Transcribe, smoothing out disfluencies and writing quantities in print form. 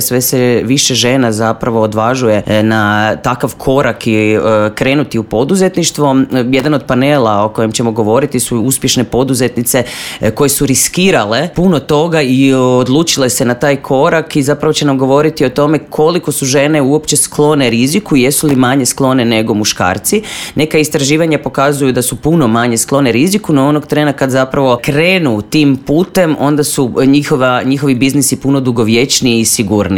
Sve se više žena zapravo odvažuje na takav korak i krenuti u poduzetništvo. Jedan od panela o kojem ćemo govoriti su uspješne poduzetnice koje su riskirale puno toga i odlučile se na taj korak i zapravo će nam govoriti o tome koliko su žene uopće sklone riziku i jesu li manje sklone nego muškarci. Neka istraživanja pokazuju da su puno manje sklone riziku, no onog trena kad zapravo krenu tim putem, onda su njihovi biznisi puno dugovječniji i sigurniji.